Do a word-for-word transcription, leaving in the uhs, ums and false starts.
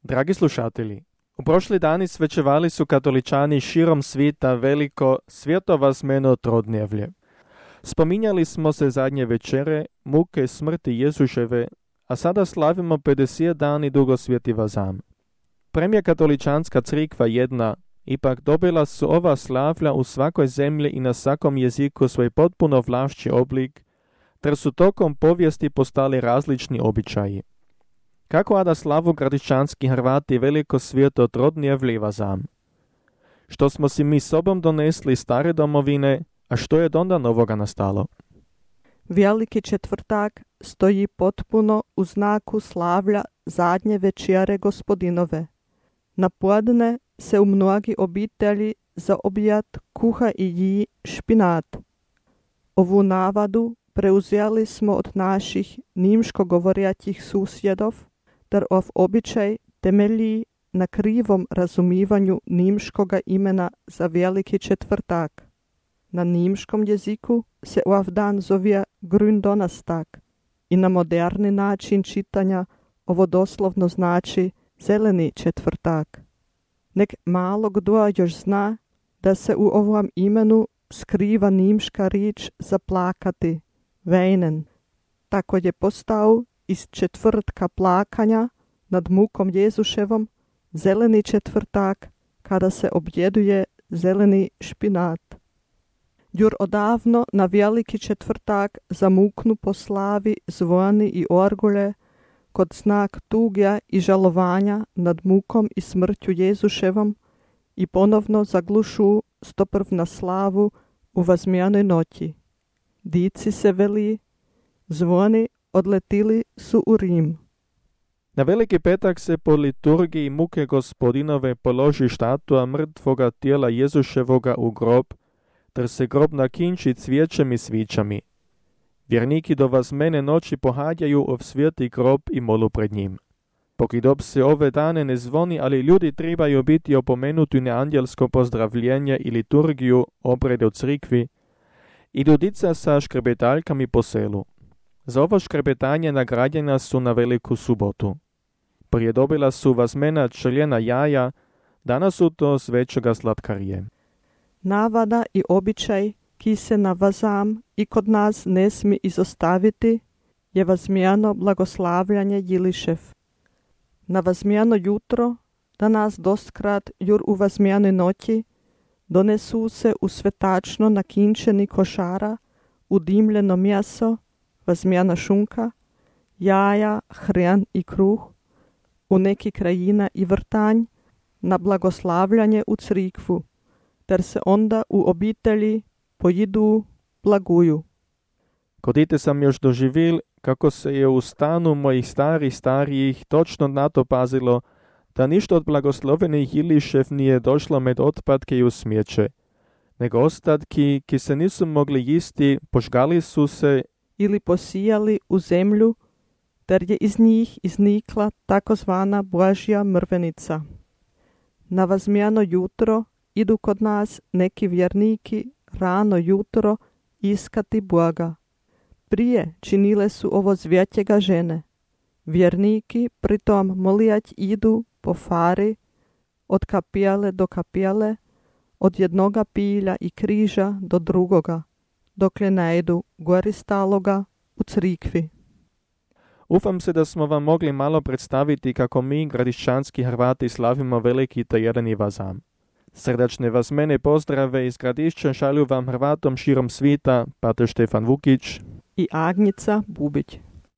Dragi slušatelji, u prošli dani svečevali su katoličani širom svijeta veliko svjetovazmeno trodnevlje. Spominjali smo se zadnje večere, muke smrti Jezuševe, a sada slavimo pedeset dani dugosvjeti vazam. Premija katoličanska crikva jedna, ipak dobila su ova slavlja u svakoj zemlji i na svakom jeziku svoj potpuno vlašći oblik, ter su tokom povijesti postali različni običaji. Kako ada slavu gradišćanski Hrvati veliko svijeto trodnevlje vazam? Što smo si mi sobom donesli stare domovine, a što je onda novoga nastalo? Veliki četvrtak stoji potpuno u znaku slavlja zadnje večere gospodinove. Na podne se u mnogi obitelji za objad kuha i ji špinat. Ovu navadu preuzeli smo od naših nimško govorjatih susjedov, ter ov običaj temelji na krivom razumivanju nimškoga imena za veliki četvrtak. Na nimškom jeziku se ov dan zove Gründonnerstag i na moderni način čitanja ovo doslovno znači zeleni četvrtak. Nek malo kdo još zna da se u ovom imenu skriva nimška riječ za plakati, weinen. Tako je postao iz četvrtka plakanja nad mukom Jezuševom zeleni četvrtak kada se objeduje zeleni špinat. Jur odavno na veliki četvrtak zamuknu po slavi zvoni i orgulje kod znak tugja i žalovanja nad mukom i smrću Jezuševom i ponovno zaglušu stoprv na slavu u vazmijanoj noći. Dici se veli, zvoni odletili su u Rim. Na Veliki petak se po liturgiji muke gospodinove položi štatua mrtvoga tijela Jezuševoga u grob, ter se grob nakinči cvijećem i svićami. Vjerniki do vazmene noći pohađaju ov sveti grob i molu pred njim. Pokidob se ove dane ne zvoni, ali ljudi trebaju biti opomenuti na anđelsko pozdravljenje i liturgiju obrede u crikvi, idu dica sa škrebetaljkami po selu. Za ovo škrebetanje nagrađena su na Veliku subotu. Prije dobila su vazmena čeljena jaja, danas su to svećega slatkarije. Navada i običaj, ki se na vazam i kod nas ne smi izostaviti, je vazmijano blagoslavljanje Jilišev. Na vazmijano jutro, danas dostkrat jur u vazmijanoj noći, donesu se u svetačno nakinčeni košara, udimljeno mjeso, vazmijana šunka, jaja, hrjan i kruh, u neki krajina i vrtanj, na blagoslavljanje u crikvu, ter se onda u obitelji pojidu, blaguju. Kodite sam još doživil kako se je u stanu mojih starih starijih točno na to pazilo, da ništa od blagoslovenih Jilišev nije došlo med otpadke i u smijeće, nego ostatki, ki se nisu mogli jisti, požgali su se ili posijali u zemlju, ter je iz njih iznikla takozvana Božja mrvenica. Na vazmijano jutro idu kod nas neki vjerniki rano jutro iskati Boga. Prije činile su ovo zvjetjega žene. Vjerniki pritom molijać idu po fari od kapijale do kapijale, od jednoga pilja i križa do drugoga, dokle najdu gori staloga u crikvi. Ufam se da smo vam mogli malo predstaviti kako mi, gradišćanski Hrvati, slavimo veliki tajedni vazam. Srdačne vas mene pozdrave iz Gradišća šalju vam Hrvatom širom svita, pater Štefan Vukić i Agnica Bubić.